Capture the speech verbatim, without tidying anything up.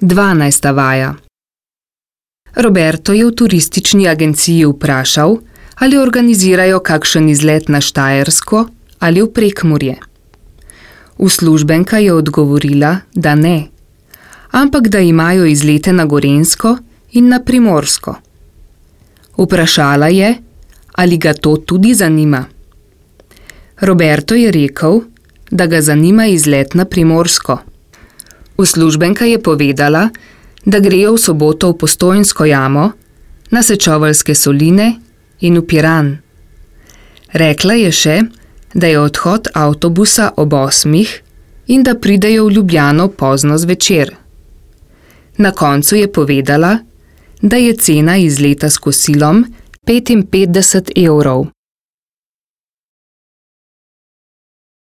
Dvanajsta vaja. Roberto je v turistični agenciji vprašal, ali organizirajo kakšen izlet na Štajersko ali v Prekmurje. Uslužbenka je odgovorila, da ne, ampak da imajo izlete na Gorenjsko in na Primorsko. Vprašala je, ali ga to tudi zanima. Roberto je rekel, da ga zanima izlet na Primorsko. Uslužbenka je povedala, da grejo v soboto v Postojnsko jamo, na Sečoveljske soline in v Piran. Rekla je še, da je odhod avtobusa ob osmih in da pridejo v Ljubljano pozno zvečer. Na koncu je povedala, da je cena izleta s kosilom petinpetdeset evrov.